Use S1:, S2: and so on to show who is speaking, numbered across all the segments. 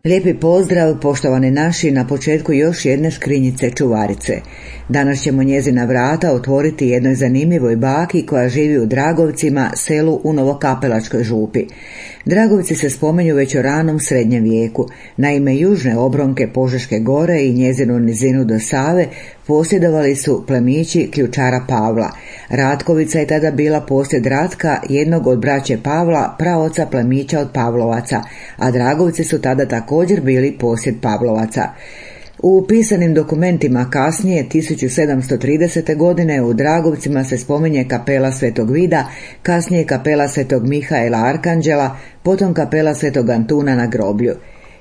S1: Lijepi pozdrav, poštovani naši, na početku još jedne škrinjice čuvarice. Danas ćemo njezina vrata otvoriti jednoj zanimljivoj baki koja živi u Dragovcima, selu u Novokapelačkoj župi. Dragovci se spominju već u ranom srednjem vijeku. Naime, južne obronke Požeške gore i njezinu nizinu do Save posjedovali su plemići ključara Pavla. Ratkovica je tada bila posjed Ratka, jednog od braće Pavla, praoca plemića od Pavlovaca, a Dragovci su tada također bili posjed Pavlovaca. U pisanim dokumentima kasnije, 1730. godine, u Dragovcima se spominje kapela Svetog Vida, kasnije kapela Svetog Mihaela Arkanđela, potom kapela Svetog Antuna na groblju.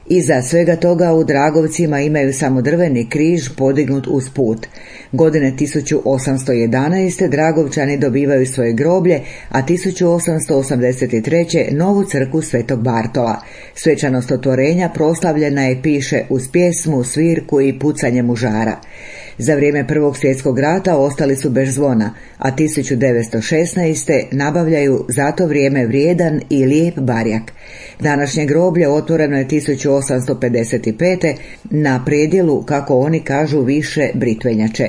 S1: Iza svega toga u Dragovcima imaju samo drveni križ podignut uz put. Godine 1811. Dragovčani dobivaju svoje groblje, a 1883. novu crkvu Svetog Bartola. Svečanost otvorenja proslavljena je, piše, uz pjesmu, svirku i pucanje mužara. Za vrijeme Prvog svjetskog rata ostali su bez zvona, a 1916. nabavljaju za to vrijeme vrijedan i lijep barjak. Današnje groblje otvoreno je 1855. na predjelu, kako oni kažu, više Britvenjače.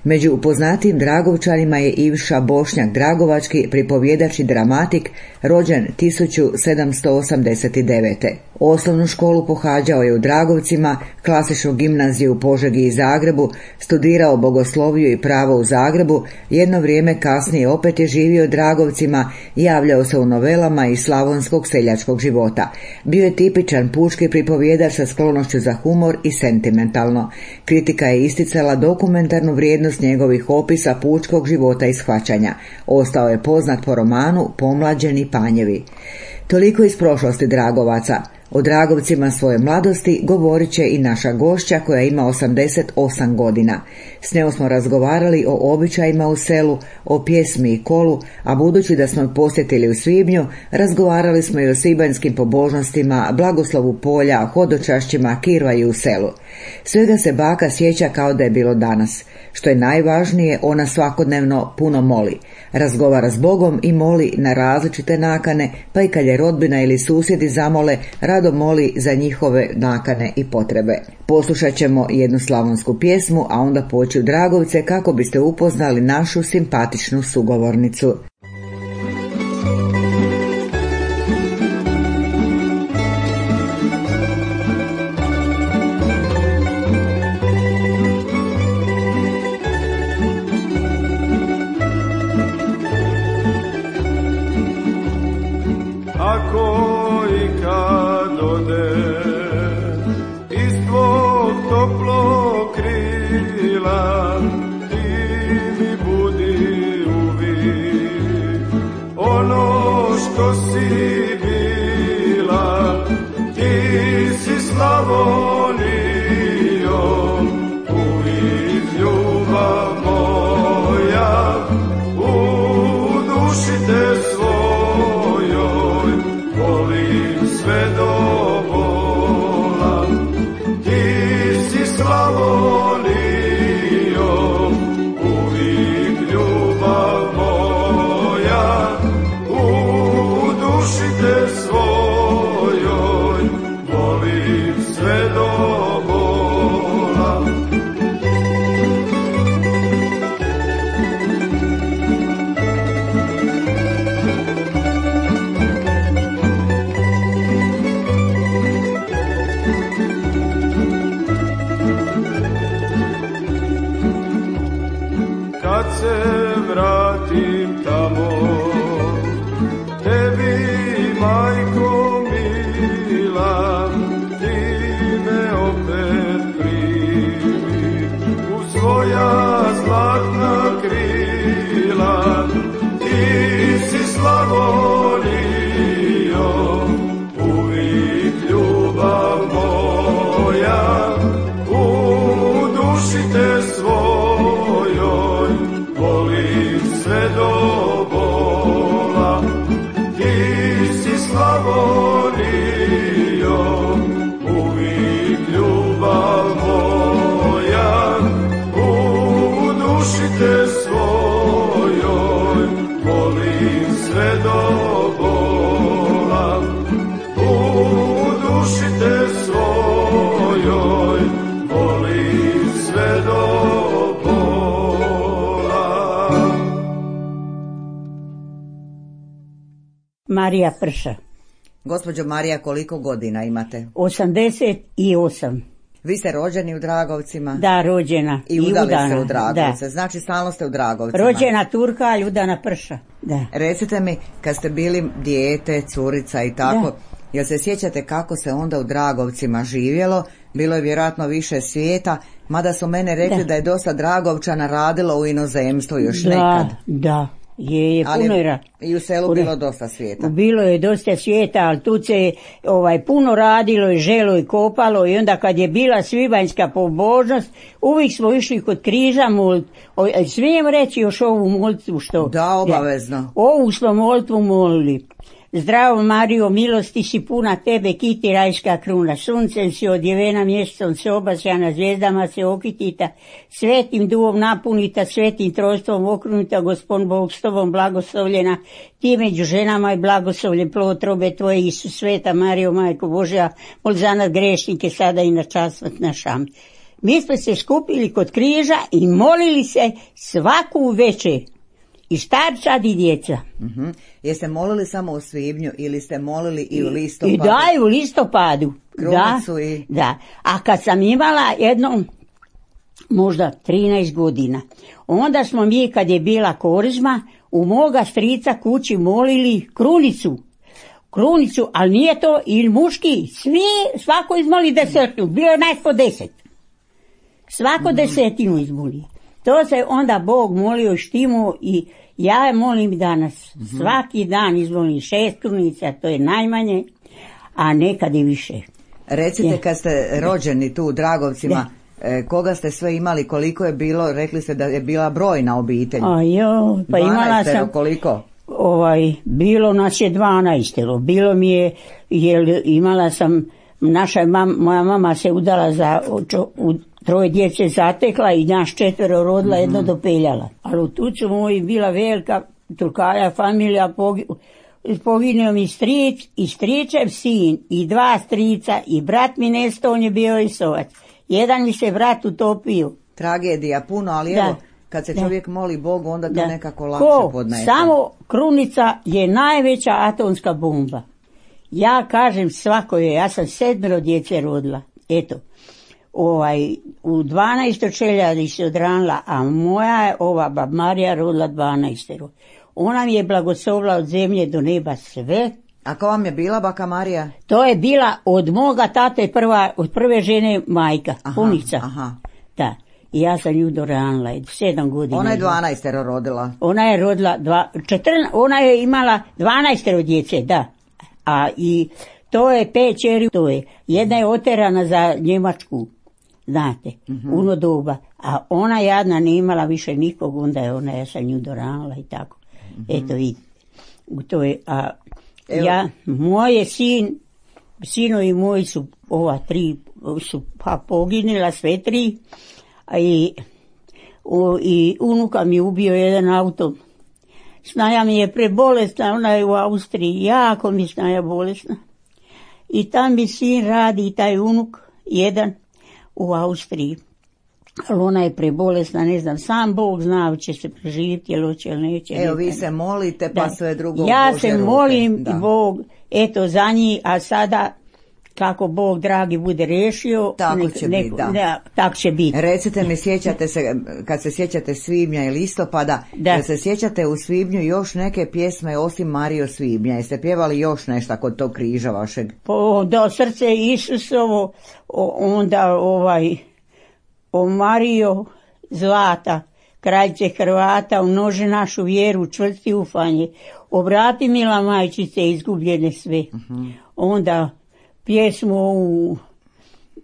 S1: Među poznatim Dragovčanima je Ivša Bošnjak Dragovački, pripovjedač i dramatik, rođen 1789. Osnovnu školu pohađao je u Dragovcima, klasičnu gimnaziju u Požegi i Zagrebu, studirao bogosloviju i pravo u Zagrebu, jedno vrijeme kasnije opet je živio u Dragovcima, javljao se u novelama iz slavonskog seljačkog života. Bio je tipičan pučki pripovjedač sa sklonošću za humor i sentimentalno. Kritika je isticala dokumentarnu vrijednost njegovih opisa pučkog života i shvaćanja. Ostao je poznat po romanu Pomlađeni panjevi. Toliko iz prošlosti Dragovaca. O Dragovcima svoje mladosti govorit će i naša gošća koja ima 88 godina. S njom smo razgovarali o običajima u selu, o pjesmi i kolu, a budući da smo posjetili u svibnju, razgovarali smo i o svibanjskim pobožnostima, blagoslovu polja, hodočašćima, kirvaju u selu. Svega se baka sjeća kao da je bilo danas. Što je najvažnije, ona svakodnevno puno moli. Razgovara s Bogom i moli na različite nakane, pa i kad je rodbina ili susjedi zamole, rado moli za njihove nakane i potrebe. Poslušat ćemo jednu slavonsku pjesmu, a onda poći u Dragovce kako biste upoznali našu simpatičnu sugovornicu.
S2: Ono Marija Prša.
S1: Gospođo Marija, koliko godina imate?
S2: 88.
S1: Vi ste rođeni u Dragovcima?
S2: Da, rođena.
S1: I udali se u Dragovce, da. Znači stalno ste u Dragovcima.
S2: Rođena Turka, Ljudana Prša. Da.
S1: Recite mi, kad ste bili dijete, curica i tako, jel se sjećate kako se onda u Dragovcima živjelo? Bilo je vjerojatno više svijeta, mada su mene rekli da je dosta Dragovčana radilo u inozemstvu još nekad.
S2: Da. Je puno je
S1: i u selu bilo dosta svijeta.
S2: Bilo je dosta svijeta, ali tu se puno radilo i želo i kopalo i onda kad je bila svibanjska pobožnost, uvijek smo išli kod križa smijem reći još ovu molitvu što?
S1: Da, obavezno.
S2: Ovu smo molitvu molili. Zdravo Marijo, milosti si puna, tebe kiti rajska kruna, suncem si odjevena, mjesecom se obasjana, zvijezdama se okitita, svetim duvom napunita, svetim trojstvom okrunita, Gospod Bog s tobom blagoslovljena, ti među ženama i blagoslovljen plod trobe tvoje, Isus, sveta Marijo, Majko Božja, mol za nas grešnike sada i na čas smrt naša. Mi smo se skupili kod križa i molili se svaku večer. I starčad i djeca.
S1: Jeste molili samo u svibnju ili ste molili i u listopadu?
S2: I da, i u listopadu.
S1: Krunicu i...
S2: Da. A kad sam imala jedno, možda 13 godina, onda smo mi, kad je bila korizma, u moga strica kući molili krunicu, ali nije to i muški, svako izmoli desetinu, bilo je nas po 10. Svako desetinu izmoli. To se onda Bog molio štimu i ja je molim danas. Svaki dan izvolim 6 krunica, to je najmanje, a nekad i više.
S1: Recite, kad ste rođeni tu u Dragovcima, koga ste sve imali, koliko je bilo, rekli ste da je bila brojna obitelj.
S2: Pa imala sam...
S1: Koliko?
S2: Bilo nas je 12. Bilo mi je, jer imala sam, moja mama se udala za... Troje djece zatekla i naš 4 rodila, jedno dopeljala. Ali u tucu moji bila velika Turkaja familija, poginuo mi stric i stričev sin i 2 strica i brat mi nesto, on je bio Isovac. Jedan mi se brat utopio.
S1: Tragedija puno, ali evo, kad se čovjek moli Bogu, onda to nekako lakše podnese.
S2: Samo krunica je najveća atomska bomba. Ja kažem svako je, ja sam 7 djece rodila, eto. U 12 čeljadi se odranila, a moja je bab Marija rodila 12. Ona mi je blagoslovila od zemlje do neba sve.
S1: A ko vam je bila baka Marija?
S2: To je bila od moga tate od prve žene majka, punica. Da. I ja sam nju doranila, 7 godina.
S1: Ona je 12 rodila.
S2: Ona je rodila, ona je imala 12 djece, da. A i to je 5 čeri, to je. Jedna je oterana za Njemačku. Znate, uno doba, a ona jadna nije imala više nikog, onda je ja sam nju doranila i tako. Eto vidite, to je, moje sinovi moji su, 3 su poginila, sve 3, i unuka mi ubio jedan auto. Snaja mi je prebolesna, ona je u Austriji, jako mi snaja bolesna. I tam mi sin radi, taj unuk, jedan, u Austriji. Ali ona je prebolesna, ne znam, sam Bog zna će se preživjeti, jel hoće ili neće.
S1: Evo, vi se molite, pa sve drugo
S2: ja Bože se molim i Bog, eto za njih, a sada kako Bog dragi bude rešio,
S1: tako će biti,
S2: tako će biti.
S1: Recite mi, sjećate se, kad se sjećate svibnja i listopada, da se sjećate u svibnju još neke pjesme osim Marijo svibnja, jeste pjevali još nešto kod tog križa vašeg?
S2: Da, srce Isusovo, onda o Marijo zlata, kraljice Hrvata, umnoži našu vjeru, čvrsti ufanje, obrati mila majčice izgubljene sve. Onda pjesmu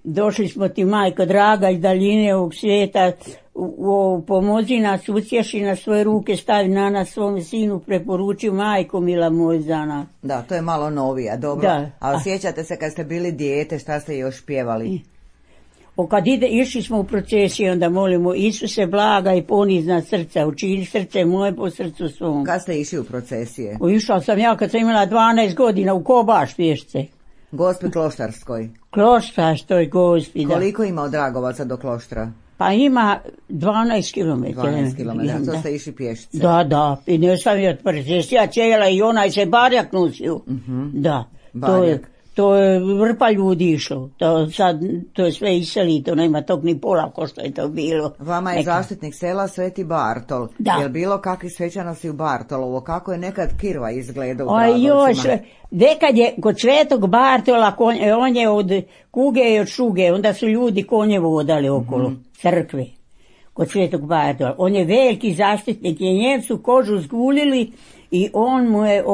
S2: došli smo ti majko draga iz daljine ovog svijeta, pomozi nas, utješi na svoje ruke, stavi na nas svome sinu, preporuči majko mila moj za nas.
S1: Da, to je malo novija, dobro. Ali sjećate se kad ste bili dijete, šta ste još pjevali?
S2: Kad išli smo u procesiju, onda molimo Isuse blaga i ponizna srca, učini srce moje po srcu svom.
S1: Kad ste išli u procesije?
S2: Išla sam ja kad sam imala 12 godina u Kobaš pješce.
S1: Gospi Kloštarskoj.
S2: Kloštarskoj gospi, da.
S1: Koliko ima od Dragovaca do Kloštra?
S2: Pa ima 12 km.
S1: 12 km, to ste išli pješice.
S2: Da, i ne sam je ja cijela i onaj se barjak nosio. Da, to je vrpa ljudi išlo. To je sve iseli, to nema tog ni pola ko što je to bilo.
S1: Vama je zaštitnik sela Sveti Bartol. Je li bilo kakvi svečanosti u Bartolovo? Kako je nekad kirva izgledao u Dragovcima?
S2: Nekad je kod Svetog Bartola, on je od kuge i od šuge, onda su ljudi konje vodali okolo crkve. Kod Svetog Bartola. On je veliki zaštitnik, i Njemcu kožu zgulili i on mu je,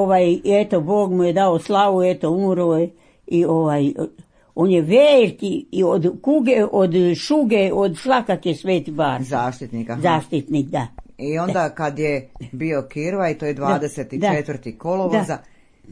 S2: Bog mu je dao slavu, umro je i on je veliki i od kuge, od šuge, od svakake Sveti Bartol. Zaštitnik, da.
S1: I onda kad je bio kirva i to je 24. kolovoza,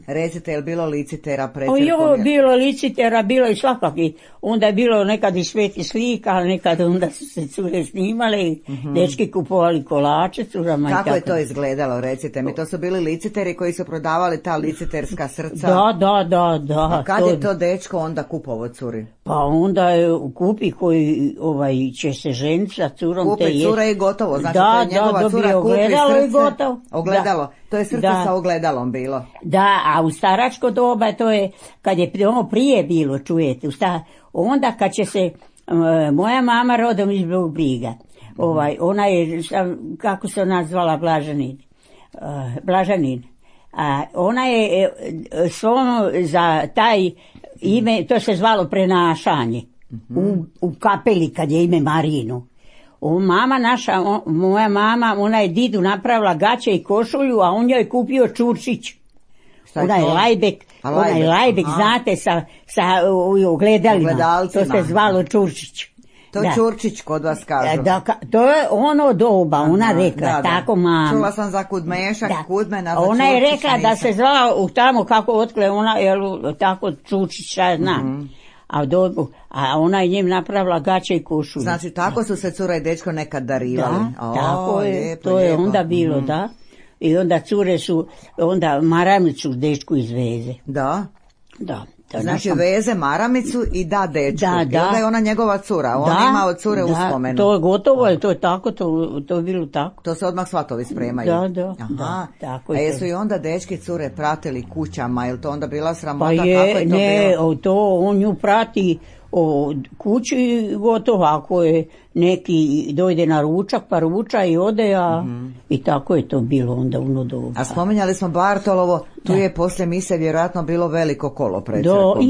S1: recite, je li bilo licitera pred crkom?
S2: Bilo licitera, bilo i svakaki. Onda je bilo nekad i sveti slika, nekad onda su se cure snimale, dečki kupovali kolače curama.
S1: Kako je to izgledalo, recite mi? To su bili liciteri koji su prodavali ta liciterska srca?
S2: Da.
S1: A kad je to dečko onda kupovo curi?
S2: Pa onda je kupi koji će se ženiti sa curom.
S1: Kupi cure i gotovo, znači to je njegova cura kupi srce. Ogledalo. To je srce sa ogledalom bilo.
S2: Da, a u staračko doba to je, kad je prije bilo, čujete, onda kad će se, moja mama rodom iz Briga, ona je, kako se ona zvala, Blažanin. Ona je za taj ime, to se zvalo prenašanje, u kapeli kad je ime Marinu. Moja mama, ona je didu napravila gaće i košulju, a on joj je kupio čurčić. Onaj lajbek, znate, sa ogledalima. To se zvalo čurčić.
S1: To je čurčić kod vas kažu.
S2: To je ono doba, ona rekla, tako mama.
S1: Čula sam za kudmešak, kudmena za
S2: ona je rekla da se zvala tamo kako otkle ona, tako čurčić, ja znam. A ona je njim napravila gaće i košulju.
S1: Znači, tako su se cura i dečko nekad darivali.
S2: Tako je, to je onda bilo, da. I onda cure su, onda maramicu dečku izveze.
S1: Da. Znači, veze maramicu i da dečku. I onda je ona njegova cura. On ima od cure uspomenu.
S2: To je gotovo, to je tako, to je bilo tako.
S1: To se odmah svatovi spremaju.
S2: Da. Tako je.
S1: A jesu i onda dečki cure pratili kućama, je li to onda bila sramota?
S2: Pa on nju prati kući gotovo, ako je neki dojde na ručak pa ruča i ode, i tako je to bilo onda u doba.
S1: A spominjali smo Bartolovo, tu je poslije mise vjerojatno bilo veliko kolo pred crkom.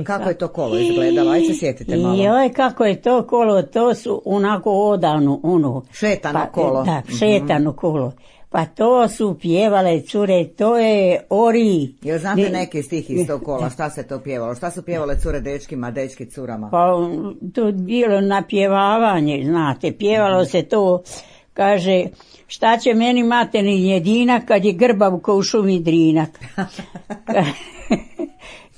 S1: Kako je to kolo izgledalo? Ajde se sjetite malo.
S2: Kako je to kolo, to su onako odavno,
S1: šetano kolo.
S2: Da, šetano kolo. Pa to su pjevale cure, to je ori.
S1: Jel znate neki stih iz tog kola, šta se to pjevalo? Šta su pjevale cure dečkima, dečki curama?
S2: Pa to je bilo napjevavanje, znate, pjevalo se to, kaže, šta će meni mateni jedinak kad je grbav ko u šumi drinak.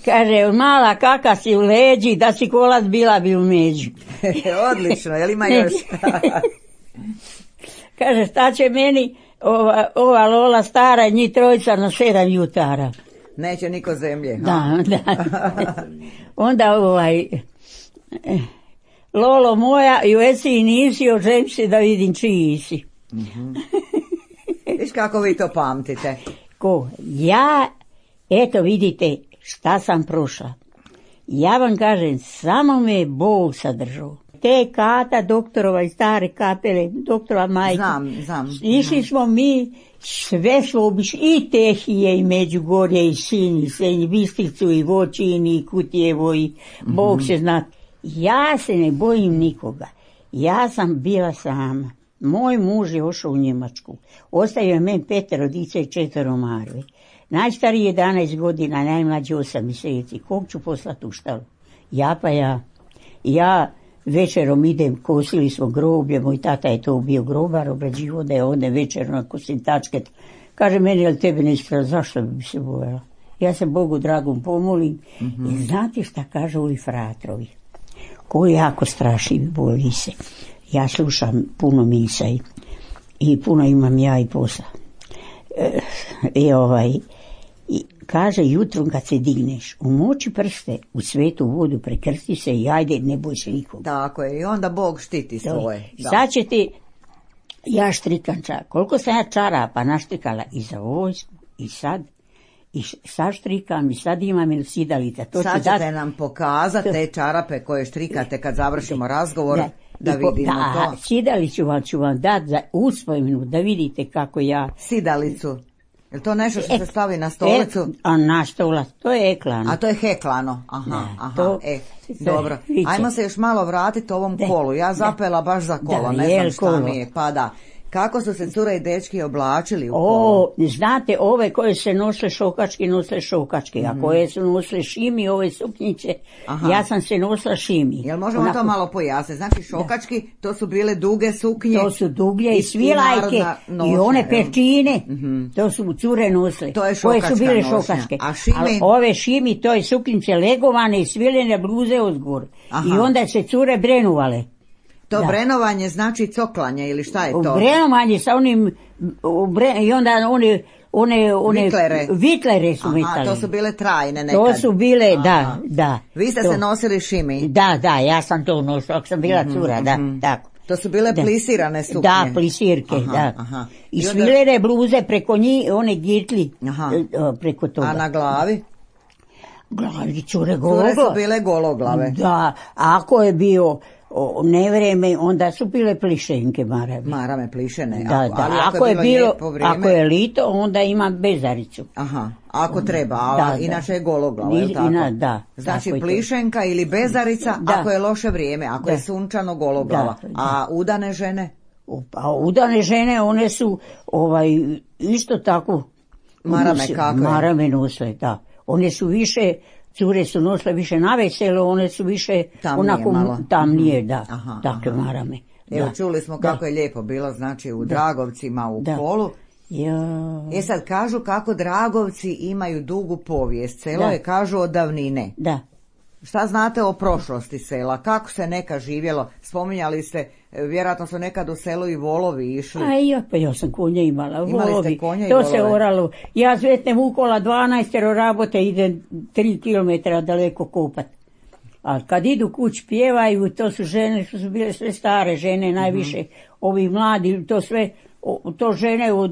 S2: Kaže, mala kaka si u leđi, da si kolac bila bi u među.
S1: Odlično, jel ima još?
S2: Kaže, šta će meni ova Lola stara, njih trojica na 7 jutara.
S1: Neće niko zemlje.
S2: Da. Onda Lolo moja, jesi i nisi, ožem se da vidim čiji si.
S1: Viš kako vi to pamtite?
S2: Ja, eto vidite šta sam prošla. Ja vam kažem, samo me Bog sadržao. Te kata doktorova i stare kapele, doktora majke.
S1: Znam.
S2: Išli smo mi, sve smo obišli, i Tehije, i Međugorje, i Sinj, i Senj, Bistricu, i Voćin, i Kutjevo, i Bog se zna. Ja se ne bojim nikoga. Ja sam bila sama. Moj muž je ošao u Njemačku. Ostavio je meni 5 dice i 4 marve. Najstariji 11 godina, najmlađi 8 mjeseci. Kog ću poslati u štalu? Ja večerom idem, kosili smo groblje, moj tata je to bio grobar, obrađivo da je ode večerom na kosintačket. Kaže meni, jel tebe ne ispravo, zašto bi se bojala? Ja se Bogu dragom pomolim. I znate šta kažu ovi fratrovi? Koji jako strašni, boji se. Ja slušam puno misa i puno imam ja i posla. kaže jutrom kad se digneš, umoči prste u svetu vodu, prekrsti se i ajde, ne boj se nikog.
S1: Tako je, i onda Bog štiti svoje. Da.
S2: Sad će ti, ja štrikam koliko sam ja čarapa naštrikala i za vojsku, i sad štrikam, i sad imam ili sidalica.
S1: Sad ćete nam pokazati te čarape koje štrikate kad završimo razgovor, da vidimo to.
S2: Sidalicu ću vam dati za uspomenu, da vidite kako ja...
S1: Sidalicu. Je li to nešto što se stavi na stolicu?
S2: A na stolac, to je eklano.
S1: A to je heklano, dobro. Ajmo se još malo vratiti ovom kolu. Ja zapela baš za kolo, ne znam šta mi je, pa da. Kako su se cure i dečki oblačili u kolu?
S2: Znate, ove koje se nosile šokačke, a koje su nosile šimi, ove suknjiće, ja sam se nosila šimi.
S1: Jel možemo to malo pojasniti? Znači šokački, to su bile duge suknje.
S2: To su duglje i svilajke i one pečine, to su cure nosile.
S1: To je šokačka
S2: koje su bile šokačke.
S1: A šimi?
S2: Ali ove šimi, to je suknjiće legovane i svilene bluze odgor. I onda se cure brenuvale.
S1: To brenovanje znači coklanje ili šta je to?
S2: Brenovanje sa onim, i onda one vitlere su metali.
S1: To su bile trajne nekad.
S2: To su bile, da.
S1: Vi ste se nosili šimi?
S2: Da, ja sam to nosila, ako sam bila cura, tako.
S1: To su bile plisirane suknje?
S2: Da, plisirke, da. I svilene bluze preko njih, one gitli preko toga.
S1: A na glavi?
S2: Glavi cure gologlave.
S1: Cure su bile gologlave.
S2: Da, ako je bio nevreme, onda su bile plišenke marame.
S1: Marame plišene.
S2: Ali ako je lito, onda ima bezaricu.
S1: Ako treba, a inače je gologlava, je li tako? Znači plišenka ili bezarica ako je loše vrijeme, ako je sunčano gologlava. A udane žene?
S2: A udane žene, one su isto tako
S1: marame kakve?
S2: Marame nosile, da. One su više... Cure su nosile više na veselo, one su više tamnije, da, takve marame.
S1: Evo, čuli smo kako je lijepo bilo, znači u Dragovcima, u kolu. Sad kažu kako Dragovci imaju dugu povijest, selo je kažu od davnine.
S2: Da.
S1: Šta znate o prošlosti sela, kako se nekad živjelo, spominjali ste, vjerojatno su nekad u selu i volovi išli.
S2: Pa ja sam konje imala, volovi, to se oralo. Ja zvetnem ukola 12 rabote, ide 3 kilometra daleko kopat. A kad idu kuć pjevaju, to su žene, što su bile sve stare žene, najviše, ovi mladi, to žene od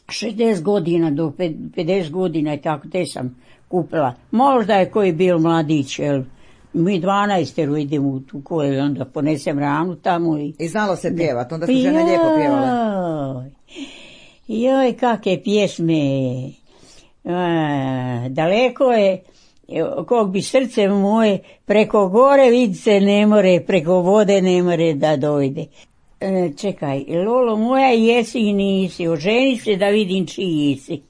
S2: 60 godina do 50 godina i tako, te sam kupila. Možda je koji bio mladić, jel? Mi 12 idemo u tu koju, onda ponesem ranu tamo i
S1: znalo se pjevat, onda su žene lijepo pjevale.
S2: Joj, kakve pjesme. Daleko je, kog bi srce moje, preko gore vidice ne more, preko vode ne more da dojde. Čekaj, Lolo moja, jesi i nisi, oženi se da vidim čiji si.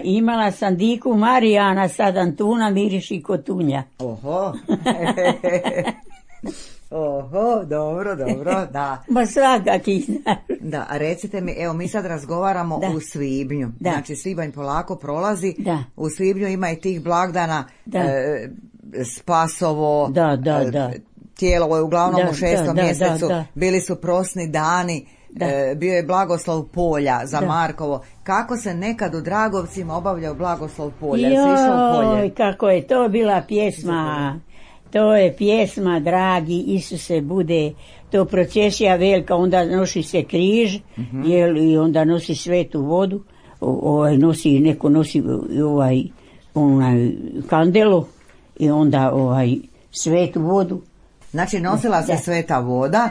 S2: Imala sam diku Marijana, sad Antuna miriši kotunja.
S1: Oho, dobro, da.
S2: Ma svakaki znaš.
S1: Da, a recite mi, evo mi sad razgovaramo u svibnju. Znači svibanj polako prolazi. U svibnju ima i tih blagdana, Spasovo, tijelo je uglavnom u 6. mjesecu, bili su prosni dani. Bio je blagoslov polja za Markovo. Kako se nekad u Dragovcima obavljao blagoslov polja?
S2: Joj, kako je to bila pjesma. To je pjesma, dragi Isuse, bude to procesija velika, onda nosi se križ, i onda nosi svetu vodu, neko nosi kandelu i onda svetu vodu.
S1: Znači nosila se sveta voda,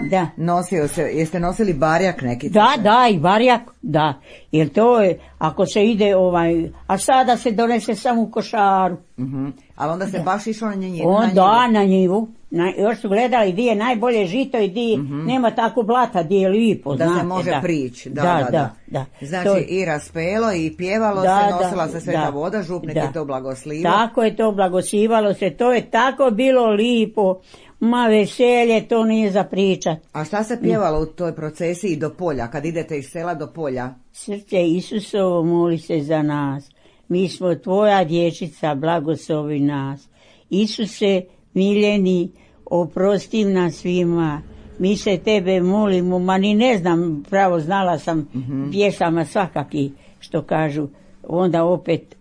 S1: jeste nosili barjak neki?
S2: Da, i barjak, da, jer to je, ako se ide a sada se donese samo u košaru.
S1: Ali onda se baš išlo na njivu?
S2: Na njivu. Još su gledali di je najbolje žito i di nema tako blata, di je lipo.
S1: Da se može prići. Da. Znači i raspelo i pjevalo se, nosila se sveta voda, župnik je to blagoslivao.
S2: Tako je to, blagoslivalo se, to je tako bilo lipo. Ma veselje, to nije za pričat.
S1: A šta se pjevalo u toj procesiji do polja, kad idete iz sela do polja?
S2: Srce Isusovo, moli se za nas. Mi smo tvoja dječica, blagoslovi nas. Isuse, miljeni, oprosti nam svima. Mi se tebe molimo, ma ni ne znam, pravo znala sam pjesama svakaki, što kažu. Onda opet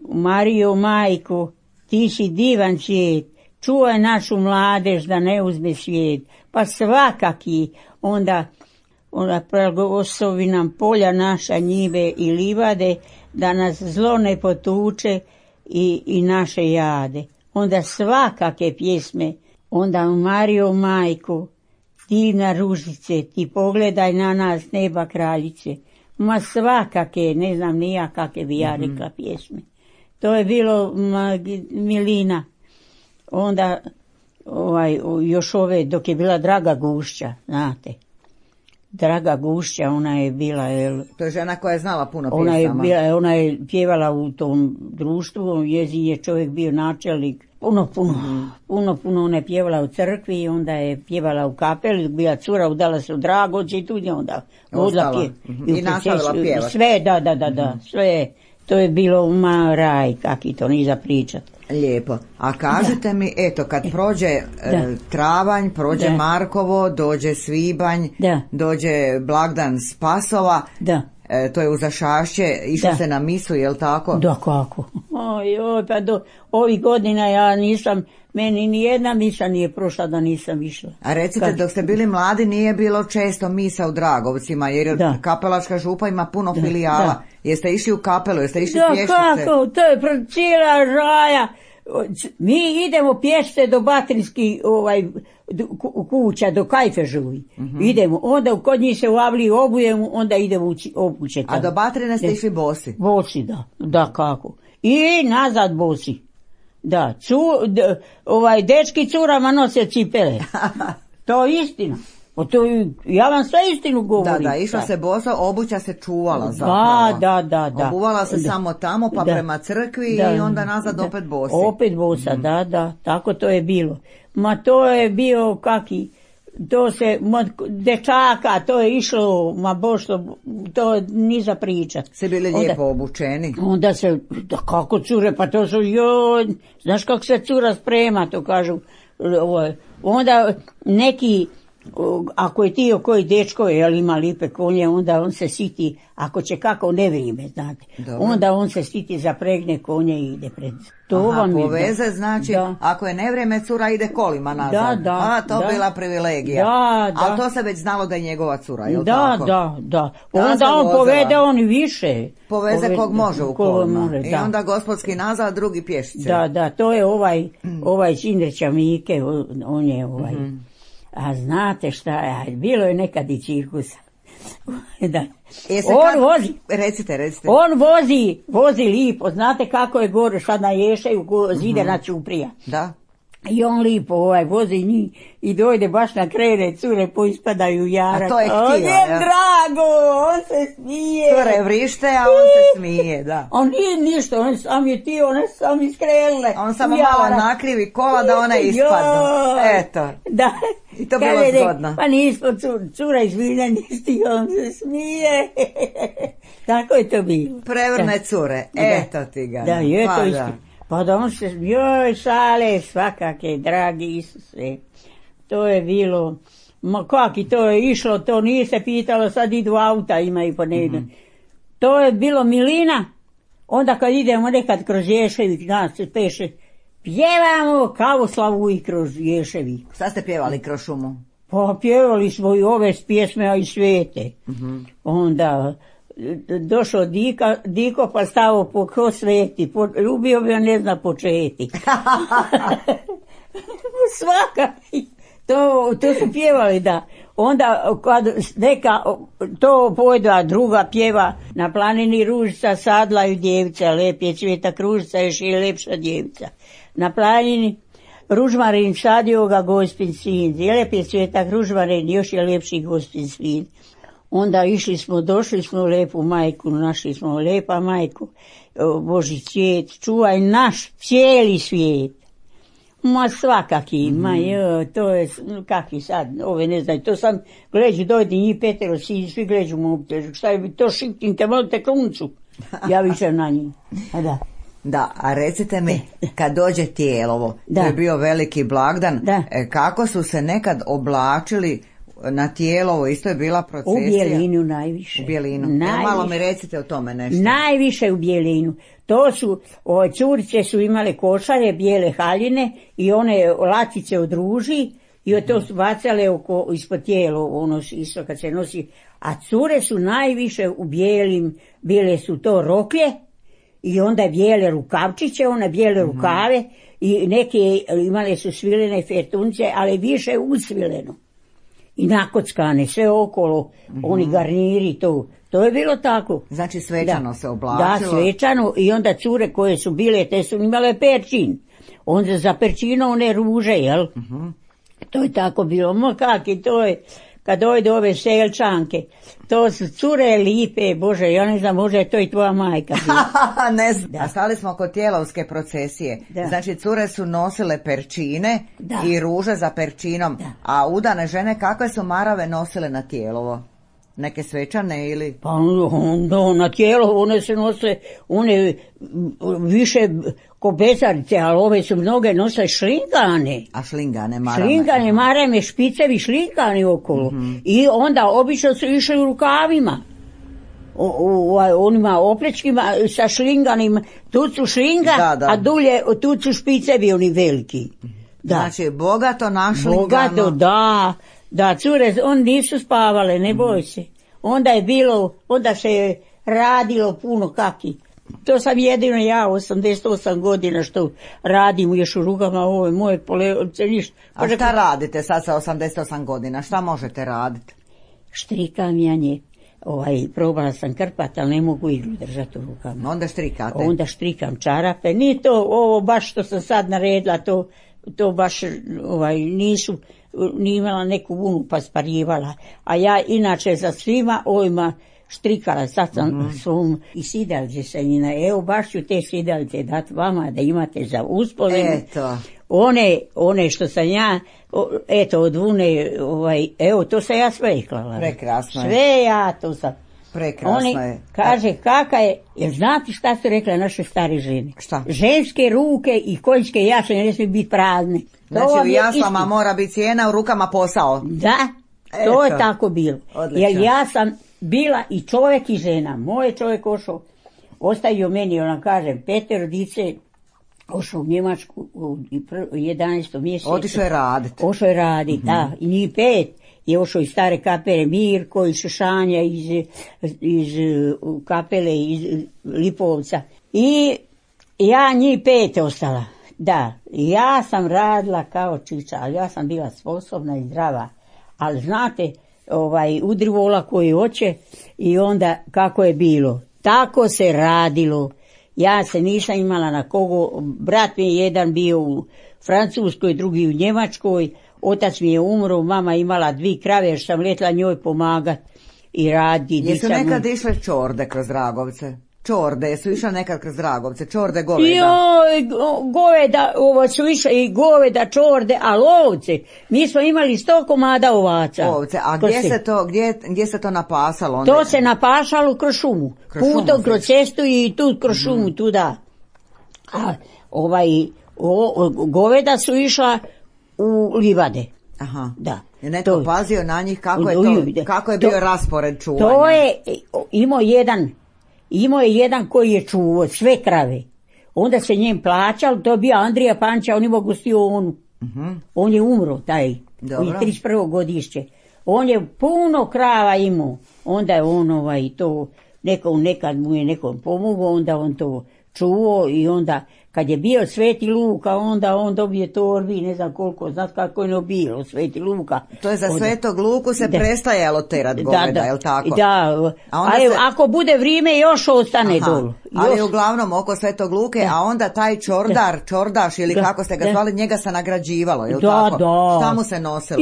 S2: Marijo majko, ti si divan svijet, čuvaj našu mladež da ne uzme svijet, pa svakaki, onda blagoslovi nam polja naša, njive i livade, da nas zlo ne potuče i naše jade. Onda svakake pjesme, onda Marijo majko, divna ružice, ti pogledaj na nas neba kraljice. Ma svakake, ne znam ni ja kakve bi ja rekla pjesme. To je bilo milina. Onda još ove, dok je bila Draga Gušća, znate. Draga Gušća, ona je bila...
S1: To je žena koja je znala puno pjesama.
S2: Ona je pjevala u tom društvu, njezin je čovjek bio načelnik. Puno ona je pjevala u crkvi i onda je pjevala u kapeli, bila cura, udala se u Dragođe i tu je onda
S1: ostala. I nastavila pjevati.
S2: Sve, da, sve. To je bilo raj, kaki to ni za pričat.
S1: Lijepo. A kažete mi, eto, kad prođe travanj, prođe Markovo, dođe svibanj, dođe blagdan Spasova, to je uza Šašće, išlo se na misu, jel tako?
S2: Da, kako? Pa do ovih godina ja nisam, meni ni jedna misa nije prošla da nisam išla.
S1: A recite, dok ste bili mladi nije bilo često misa u Dragovcima, jer Kapelačka župa ima puno filijala. Jeste išli u kapelu, jeste išli pješice?
S2: Da, kako, to je cijela raja. Mi idemo pješice do Batrinskih kuća, do Kajfežovi. Idemo, onda kod njih se u Avliji obujemo, onda idemo obuće tamo.
S1: A do Batrine ste išli bosi?
S2: Bosi, da, kako. I nazad bosi. Da, dečki curama nose cipele. To je istina. Ja vam sve istinu govorim.
S1: Da, išla se bosa, obuća se čuvala zapravo.
S2: Da.
S1: Obuvala se samo tamo, pa prema crkvi i onda nazad opet bosi.
S2: Opet bosa, da, tako to je bilo. Ma to je bio kaki, to se, dečaka, to je išlo, to ni za pričat.
S1: Se bili lijepo obučeni.
S2: Onda se, kako cure, pa to su, znaš kako se cura sprema, to kažu. Onda neki, ako je tio koji dečko ima lipe konje, onda on se siti, ako će kako nevrijeme, znate. Dobro. Onda on se siti, zapregne konje i ide pred.
S1: Poveze, znači, ako je nevrijeme, cura ide kolima nazad. To bila privilegija. Ali to se već znalo da je njegova cura, jel tako?
S2: Da. Onda on povede, on i više.
S1: Poveze kog može u kolima. I onda gospodski nazad, drugi pješice.
S2: Da, to je ovaj Čindrića Mike, on je A znate šta, bilo je nekad i cirkusa. On vozi.
S1: Recite.
S2: On vozi lipo, znate kako je gore, sad na Ješaju Zidana Ćuprija.
S1: Da.
S2: I on lipo vozi njih i dojde baš na krene, cure poispadaju jarak.
S1: A to je htio,
S2: on je drago, on se smije.
S1: Cure vrište, a on se smije, da.
S2: On nije ništa, on sam je ti, one sam iskrelile.
S1: On samo malo nakrivi kola da one ispadnu. Eto.
S2: Da.
S1: I to bilo zgodno.
S2: Pa nismo cura izvinja nisti, on se smije. Tako je to bilo.
S1: Prevrne cure, eto ti ga.
S2: Da, je to isto. Pa da on se, šale svakake, dragi Isuse. To je bilo, kaki to je išlo, to nije se pitalo, sad idu auta, imaju po negdje. To je bilo milina, onda kad idemo nekad kroz Ješevi, nas se peše, pjevamo Kavoslavu i kroz Ješevi.
S1: Šta ste pjevali kroz šumu?
S2: Pa pjevali smo i ove pjesme, a i svete. Onda došao Diko pa stavo ko sveti, ljubio bi, ne zna početi. Svaka, to su pjevali, da. Onda kad neka to pojda druga pjeva, na planini ružica sadlaju djevica, lep je cvjeta kružica, još je lepša djevica. Na planini ružmarin sadio ga gospin sin, lep je cvjeta ružmarin, još je lepši gospin sin. Onda došli smo lepu majku, našli smo lepa majku, Boži cvijet, čuvaj naš cijeli svijet. Ma svakaki, to je, kakvi sad, ove ne znaju, to sam, gleđu, dojde njih petero, svi gleđu mu, šta je to šipnite, volite kruncu, ja više na njih, da.
S1: Da, a recite mi, kad dođe Tijelovo, to je bio veliki blagdan, kako su se nekad oblačili na Tijelovo isto je bila procesija?
S2: U Bjelinu najviše.
S1: U Bjelinu. Malo mi recite o tome nešto.
S2: Najviše u Bjelinu. To su, curice su imale košare, bijele haljine i one latice od ruži i to su bacale ispod tijelo, ono isto kad se nosi. A cure su najviše u bijele su to roklje i onda bijele rukavčiće, one bijele rukave i neke imale su svilene fertunce, ali više usvileno. I nakockane, sve okolo, oni garniri, to je bilo tako.
S1: Znači svečano se oblačilo?
S2: Da, svečano i onda cure koje su bile, te su imale perčin. Onda za perčino one ruže, jel? To je tako bilo. Kaki, to je, kad dojde ove selčanke, to su cure lipe, Bože, ja ne znam, možda je to i tvoja majka.
S1: Ne znam. Da. A stali smo kod Tijelovske procesije. Da. Znači cure su nosile perčine i ruže za perčinom. Da. A udane žene kakve su marave nosile na Tijelovo? Neke svečane ili?
S2: Pa na Tijelovo one se nose, one više ko bezarice, ali ove su mnoge nose šlingane.
S1: A šlingane, marame?
S2: Šlingane, marame, špicevi šlingani okolo. I onda obično su išli u rukavima. Onima oplečkima sa šlinganim, tu su šlinga, a dulje, tu su špicevi oni veliki.
S1: Da. Znači, bogato našlingano.
S2: Bogato, da, cure, oni nisu spavale, ne boj se. Onda se je radilo puno kaki. To sam jedino ja, 88 godina što radim još u rukama ove moje polevce, ništa.
S1: A šta radite sad sa 88 godina? Šta možete raditi?
S2: Štrikam ja nje. Probala sam krpat, ali ne mogu iglu držati u rukama.
S1: Onda štrikate?
S2: Onda štrikam čarape. Nije to ovo baš što sam sad naredila, to baš nisu, nije imala neku vunu pa sparivala. A ja inače za svima ovima štrikala, sad sam svom i sidalce sam njena. Evo baš ću te sidalce dati vama da imate za uspomenu.
S1: Eto.
S2: One što sam ja, eto od vune, evo to sam ja sve klala.
S1: Prekrasno je.
S2: Sve ja to sam.
S1: Prekrasno je.
S2: Kaže kaka je, jer znate šta su rekle naše stare žene?
S1: Šta?
S2: Ženske ruke i konjske jašanje ne smiju biti prazne.
S1: Znači u jaslama mora biti cijena, u rukama posao.
S2: Da, to je tako bilo. Odlično. Jer ja sam bila i čovjek i žena. Moj čovjek ostavio meni, ona kažem, 5 dice, ošao u Njemačku u 11. mjesecu.
S1: Otišao je raditi.
S2: Ošao je raditi, da. I njih 5 je ošao iz stare kapele Mirko, iz Šešanja, iz kapele, iz Lipovca. I ja njih 5 ostala. Da, ja sam radila kao čiča, ali ja sam bila sposobna i zdrava. Ali znate, udrivola koji hoće i onda kako je bilo. Tako se radilo. Ja se nisam imala na kogo. Brat mi je jedan bio u Francuskoj, drugi u Njemačkoj. Otac mi je umro, mama imala 2 krave jer sam letla njoj pomagat i raditi.
S1: Jesu nekad išle čorde kroz Dragovce? Čorde, jesu išle nekad kroz Dragovce? Čorde goveda?
S2: Goveda, ovo su išle i goveda, čorde, ali ovce. Mi smo imali 100 komada ovaca.
S1: Ovce, a gdje se to napasalo?
S2: To se napasalo kroz šumu. Putom kroz cestu i tu kroz šumu, tu da. A goveda su išla u livade.
S1: Aha.
S2: Da.
S1: Je netko pazio na njih kako je bio raspored čuvanja?
S2: To je imao je jedan koji je čuvao sve krave. Onda se njem plaćalo, to je bio Andrija Panča, on imao gostionu. On je umro, taj, u 31. godišće. On je puno krava imao. Onda je on to, nekad mu je nekom pomogao, onda on to čuvao i onda kad je bio Sveti Luka, onda on dobije torbi, ne znam koliko, znaš kako je bilo Sveti Luka.
S1: To je za Svetog Luku se prestajalo terat goveda, je li tako?
S2: Da, ako bude vrijeme još ostane dolu.
S1: Ali uglavnom oko Svetog Luke, a onda taj čordaš ili kako ste ga zvali, njega se nagrađivalo, je li tako?
S2: Da.
S1: Šta mu se nosilo?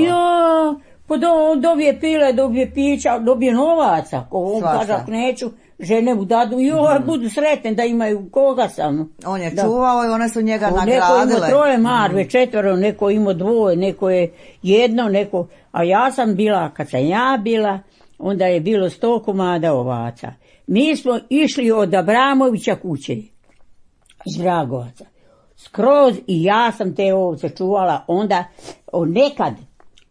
S2: Pa dobije pile, dobije pića, dobije novaca, ko on kaže ako neću, žene mu dadu i budu sretne da imaju koga sam.
S1: On je čuvao i one su njega nagradile.
S2: Neko imao 3 marve, 4, neko imao 2, neko je 1, a ja sam bila, kad sam ja bila, onda je bilo 100 komada ovaca. Mi smo išli od Abramovića kuće, iz Dragovaca, skroz i ja sam te ovce čuvala, onda nekad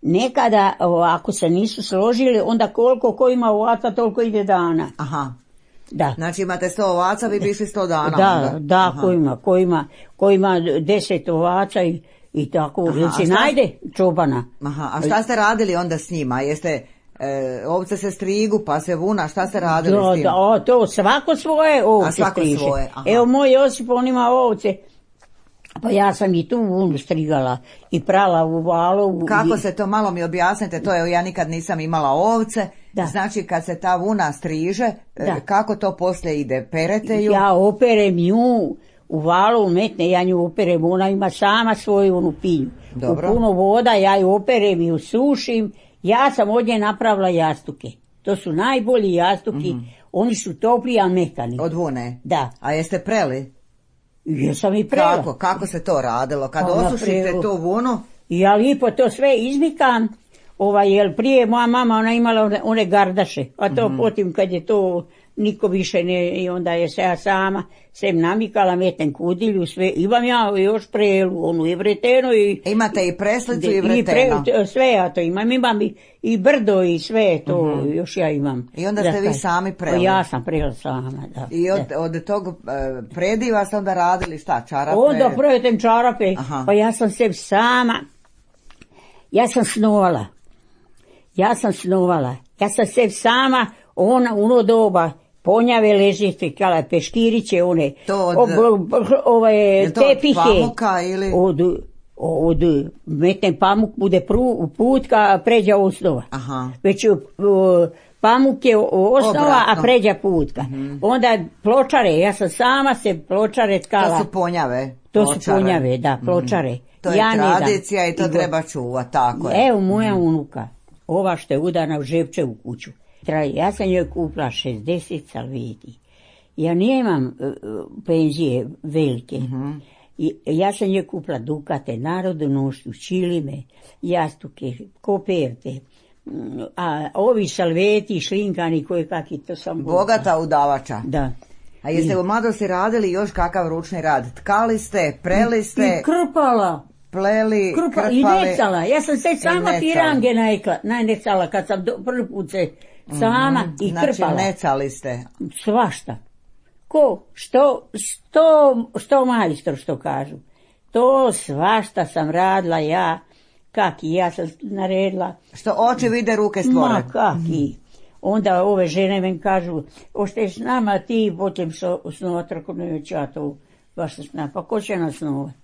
S2: nekada, ako se nisu složili, onda koliko ko ima ovaca, toliko ide dana.
S1: Aha.
S2: Da.
S1: Znači imate 100 ovaca, vi bi išli 100 dana.
S2: Da, ko ima 10 ovaca i tako, jer se najde čobana.
S1: Aha, a šta ste radili onda s njima? Jeste, ovce se strigu, pa se vuna, šta ste radili s tim?
S2: To svako svoje ovce striže.
S1: Svoje, aha.
S2: Evo moj Josip, on ima ovce, pa ja sam i tu vunu strigala i prala u valu.
S1: Kako se to, malo mi objasnite, to je, ja nikad nisam imala ovce, da. Znači kad se ta vuna striže, kako to poslije ide, perete ju?
S2: Ja operem nju, u valu umetne, ja nju operem, ona ima sama svoju onu pinju.
S1: Dobro.
S2: U puno voda, ja ju operem i usušim, ja sam od nje napravila jastuke. To su najbolji jastuki, oni su topli, a mekani.
S1: Od vune?
S2: Da.
S1: A jeste preli?
S2: Jesam i prela.
S1: Kako se to radilo? Kad osušite tu vunu?
S2: Ja lipo to sve izmikam, jer prije moja mama, ona imala one gardaše, a to potim kad je to niko više ne, i onda je se ja sama sem namikala, metem kudilju, sve, imam ja još prelu, onu i vreteno i...
S1: Imate i preslicu i vreteno?
S2: Sve ja to imam i brdo i sve to, još ja imam.
S1: I onda ste vi sami preli?
S2: Ja sam prela sama, da.
S1: I od tog prediva ste onda radili šta, čarape?
S2: Onda pretem čarape, pa ja sam se sama, ja sam snovala, ja sam se sama, ono doba, ponjave ležite, kala peškiriće, one, tepihe.
S1: To od pamuka ili?
S2: Od metem pamuk bude putka, pređa osnova.
S1: Aha.
S2: Već pamuk je osnova, a pređa putka. Onda pločare, ja sam sama se pločare tkala.
S1: To su ponjave?
S2: To su ponjave, da, pločare.
S1: To je tradicija i to treba čuvati, tako je.
S2: Evo moja unuka, ova što je udana u Žepčevu kuću. Ja sam joj kupila 60 salveti. Ja nemam penzije velike. Ja sam joj kupila dukate, narodonošću, čilime, jastuke, koperte, a ovi salveti, šlinkani, koje kakvi, to sam...
S1: Bogata udavača.
S2: Da.
S1: A jeste u mladosti radili još kakav ručni rad? Tkali ste, preli ste...
S2: I krpala.
S1: Pleli, krpali...
S2: I necala. Ja sam se sama pirange najnecala kad sam prvi put se sama i krpala.
S1: Znači necali ste.
S2: Svašta. Što majstor što kažu. To svašta sam radila ja. Ja sam naredila.
S1: Što oči vide, ruke stvore.
S2: Ma kaki. Onda ove žene men kažu, ošteš nama ti, potem snovat, ako neću ja to baš snovat. Pa ko će nas snovat?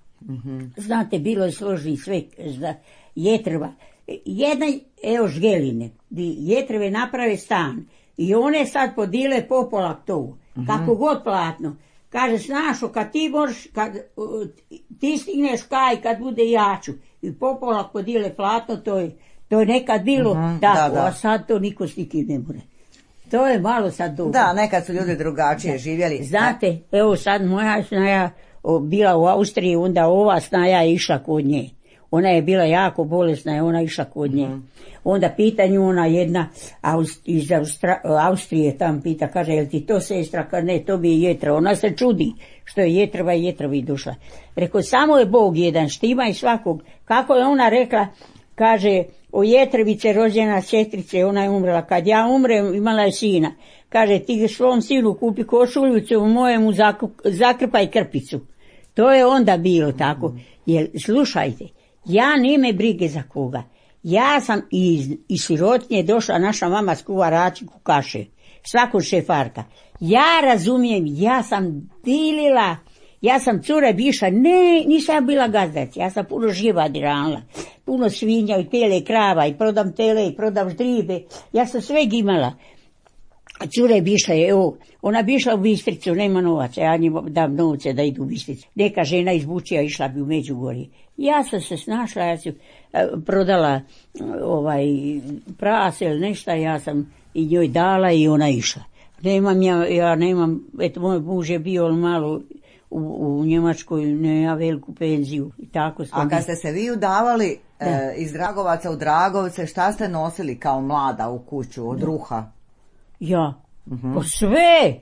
S2: Znate, bilo je složni sve, jetrva. Jedna, evo žgeline, jetrve naprave stan i one sad podile popolak to, kako god platno. Kaže, snašo, kad ti možeš, kad ti stigneš kaj, kad bude jaču i popolak podile platno, to je nekad bilo tako, a sad to niko stiki ne more. To je malo sad dobro.
S1: Da, nekad su ljudi drugačije živjeli.
S2: Znate, evo sad moja snaja bila u Austriji, onda ova snaja je išla kod nje. Ona je bila jako bolesna i ona išla kod nje. Onda pita nju ona jedna iz Austrije tam pita, kaže, jel ti to sestra? Kaže, ne, to bi je jetra. Ona se čudi što je jetrovi došla. Rekao, samo je Bog jedan, štima i svakog. Kako je ona rekla, kaže, o jetrvice rođena sestrice, ona je umrela. Kad ja umrem, imala je sina. Kaže, ti svom sinu kupi košuljicu, mojemu zakrpaj krpicu. To je onda bilo tako. Jer, slušajte, ja nime brige za koga. Ja sam iz sirotinje došla, naša mama skuva račiku kaše. Svakog šefarka. Ja razumijem, ja sam dilila, ja sam cure biša, ne, nisam bila gazdac, ja sam puno živadi ranila. Puno svinja i tele i krava i prodam tele i prodam ždribe. Ja sam sve imala. Cure bi išla, evo, ona bi išla u Bistricu, nema novaca, ja njima dam novce da idu u Bistricu. Neka žena iz Bučija išla bi u Međugorje. Ja sam se snašla, ja sam prodala prase ili nešto, ja sam i njoj dala i ona išla. Ja nemam, eto, moj muž je bio malo u Njemačkoj, nema veliku penziju i tako.
S1: A kad ste se vi udavali iz Dragovaca u Dragovce, šta ste nosili kao mlada u kuću od ruha?
S2: Ja, pa sve.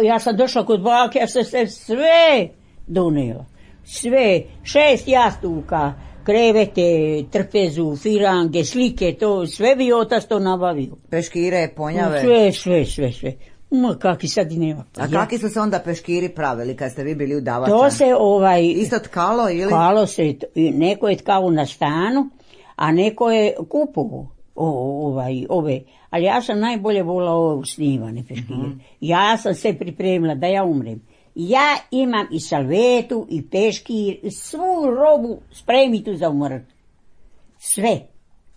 S2: Ja sam došla kod bake, ja sam se sve donijela. Sve, 6 jastuka, krevete, trpezu, firange, slike, to sve bi otac to nabavio.
S1: Peškire, ponjave?
S2: Sve. Ma kaki sad i nema.
S1: A kaki su se onda peškiri pravili kad ste vi bili u Davačan?
S2: To se
S1: isto tkalo ili?
S2: Tkalo se, neko je tkao na stanu, a neko je kupovo ove. Ali ja sam najbolje volila ove snimane peškire. Ja sam se pripremila da ja umrem. Ja imam i salvetu, i peškir, svu robu spremitu za umrt. Sve.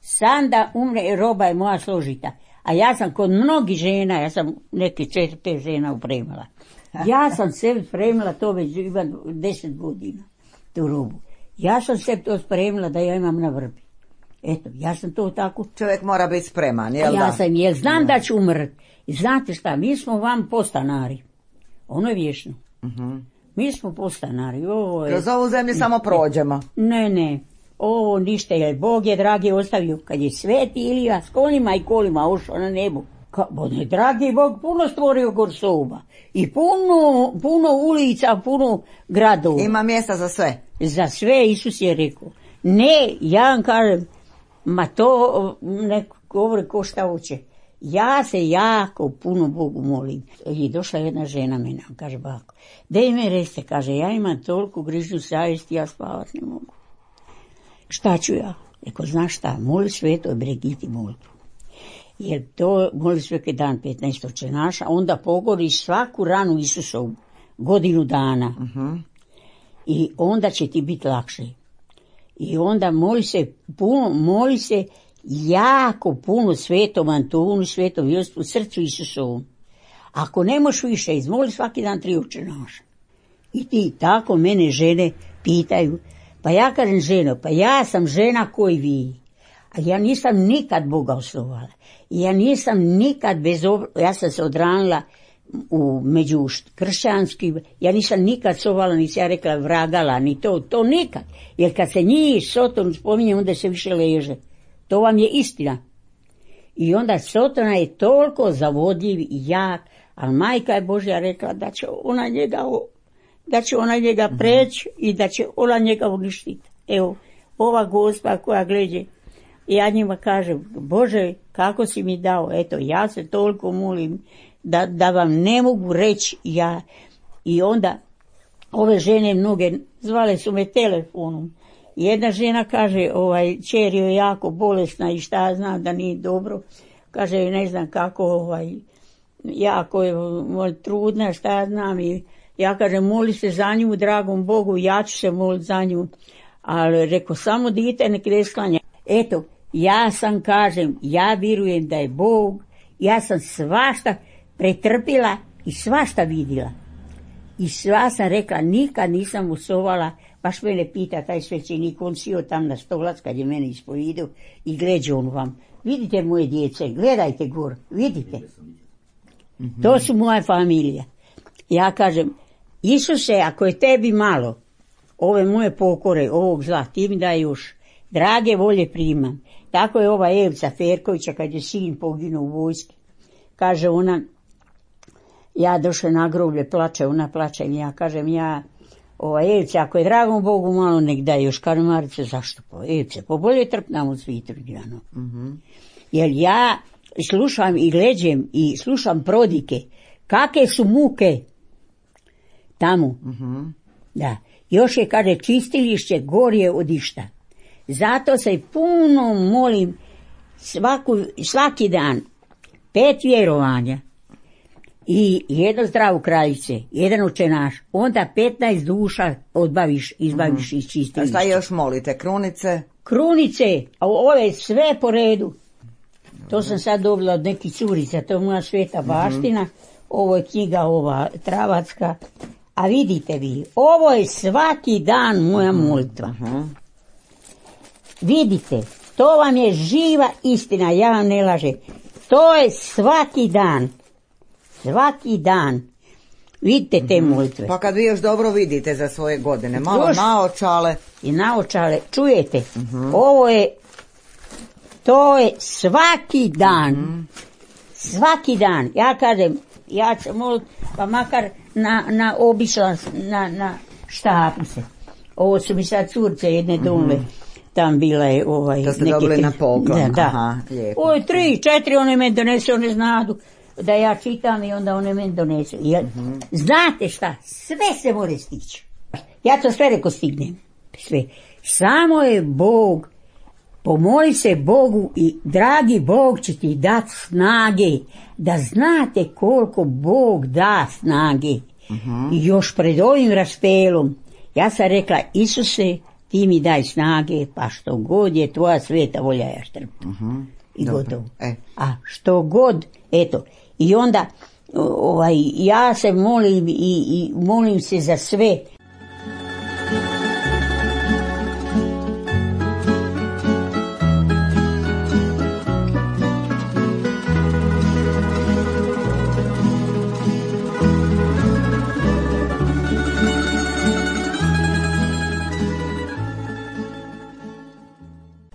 S2: Sam da umre, roba je moja složita. A ja sam kod mnogih žena, ja sam neke 4-5 žena upremala. Ja sam sebi spremila to već imam 10 godina, tu robu. Ja sam sebi to spremila da ja imam na vrbi. Eto, ja sam to tako.
S1: Čovjek mora biti spreman, jel da?
S2: Ja sam, jer znam da ću umrt. I znate šta, mi smo vam postanari. Ono je vješno. Mi smo postanari.
S1: Kroz ovu zemlju samo prođemo.
S2: Ne. Ovo ništa, jer Bog je dragi ostavio. Kad je Sveti Ilija s kolima i kolima ušao na nebu. Dragi Bog puno stvorio gorsoba. I puno ulica, puno gradova.
S1: Ima mjesta za sve.
S2: Za sve Isus je rekao. Ne, ja vam kažem, ma to neko govori ko šta hoće. Ja se jako puno Bogu molim. I došla jedna žena mene, kaže bako, daj me reste, kaže, ja imam toliko grižnju savjesti, ja spavat ne mogu. Šta ću ja? Eko, znaš šta, moli Svetoj Brigiti molitvu. Jer to moli svaki dan 15 očenaša, onda pogoriš svaku ranu Isusovu, godinu dana. I onda će ti biti lakše. I onda moli se jako puno Svetom Antonu, Svetom Josipu, srcu Isusovom. Ako ne možeš više, izmoli svaki dan 3 očenaša. I ti tako mene žene pitaju. Pa ja kažem ženo, pa ja sam žena koji vi. A ja nisam nikad Boga osnovala. Ja nisam nikad ja sam se odranila među kršćanskim, ja nisam nikad sovala, nisi ja rekla vragala, ni to nikad. Jer kad se njih Soton spominje, onda se više leže. To vam je istina. I onda Sotona je toliko zavodljiv i jak, ali Majka je Božja rekla da će ona njega preći i da će ona njega uništiti. Evo, ova gospa koja gleđe, ja njima kažem, Bože, kako si mi dao, eto, ja se toliko molim da vam ne mogu reći ja. I onda ove žene mnoge zvale su me telefonom. Jedna žena kaže, čer je jako bolesna i šta ja znam da nije dobro. Kaže, ne znam kako, jako je trudna, šta ja znam. I ja kažem, moli se za nju, dragom Bogu, ja ću se moliti za nju. Ali reko, samo dite nek ne sklanja. Eto, ja sam kažem, ja vjerujem da je Bog, ja sam svašta pretrpila i svašta vidjela. I sva sam rekla, nikad nisam usovala, baš mene pita taj svećenik, on sio tam na stolac kad je mene ispovidio i gleđe on vam. Vidite moje djece, gledajte gor, vidite. To su moja familija. Ja kažem, Isuse, ako je tebi malo, ove moje pokore, ovog zla, ti mi daj još, drage volje primam. Tako je ova Evca Ferkovića, kad je sin poginuo u vojski. Kaže ona, ja došla na groblje, plače, ona plače, ja kažem, Evce, ako je dragom Bogu malo, nek daj još. Kaže Marice, zašto po Evce? Po bolje trpnam od svitru. Jer ja slušam i gleđem i slušam prodike, kakve su muke tamo. Da. Još je, kaže, čistilišće gorje od išta. Zato se puno molim svaki dan 5 vjerovanja i jedno zdravu kraljice, jedan očenaš, onda 15 duša izbaviš iz čistilišća.
S1: A šta još molite? Krunice?
S2: Krunice, a ove sve po redu. To sam sad dobila od nekih curica, to je moja sveta baština, ovo je knjiga ova travacka. A vidite vi, ovo je svaki dan moja molitva. Vidite, to vam je živa istina, ja vam ne lažem. To je svaki dan. Svaki dan. Vidite te molitve.
S1: Pa kad vi još dobro vidite za svoje godine, malo naočale.
S2: I naočale, čujete, to je svaki dan. Svaki dan. Ja kažem, ja ću moliti, pa makar na obišla, na štapu se. Ovo su mi sad curce jedne donule. tam bila je
S1: To ste dobili na poklon.
S2: Da.
S1: Aha, lijepo.
S2: 3-4 one me donese, one znadu da ja čitam i onda one meni donese. Znate šta, sve se mora stići. Ja to sve reko stignem. Sve. Samo je Bog, pomoli se Bogu i dragi Bog će ti dati snage, da znate koliko Bog da snage. I još pred ovim raspelom, ja sam rekla, Isuse, ti mi daj snage, pa što god je tvoja sveta volja, ja štrpim. I
S1: Dobro.
S2: gotovo. A što god, eto, i onda ja se molim i molim se za sve.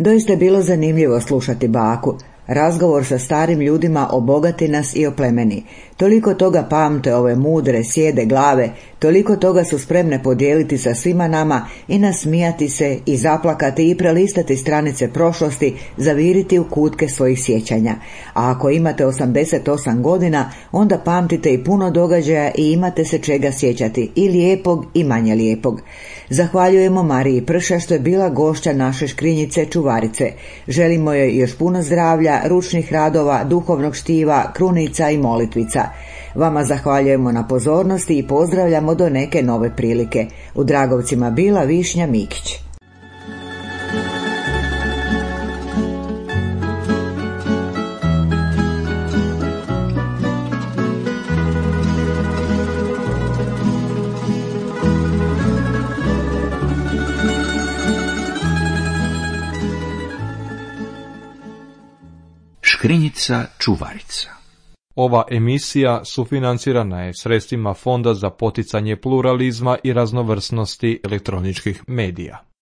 S1: Doista je bilo zanimljivo slušati baku. Razgovor sa starim ljudima obogati nas i oplemeni. Toliko toga pamte ove mudre, sjede glave, toliko toga su spremne podijeliti sa svima nama i nasmijati se i zaplakati i prelistati stranice prošlosti, zaviriti u kutke svojih sjećanja. A ako imate 88 godina, onda pamtite i puno događaja i imate se čega sjećati, i lijepog i manje lijepog. Zahvaljujemo Mariji Prša što je bila gošća naše škrinjice čuvarice. Želimo joj još puno zdravlja, ručnih radova, duhovnog štiva, krunica i molitvica. Vama zahvaljujemo na pozornosti i pozdravljamo do neke nove prilike. U Dragovcima bila Višnja Mikić.
S3: Škrinjica čuvarica.
S4: Ova emisija sufinancirana je sredstvima Fonda za poticanje pluralizma i raznovrsnosti elektroničkih medija.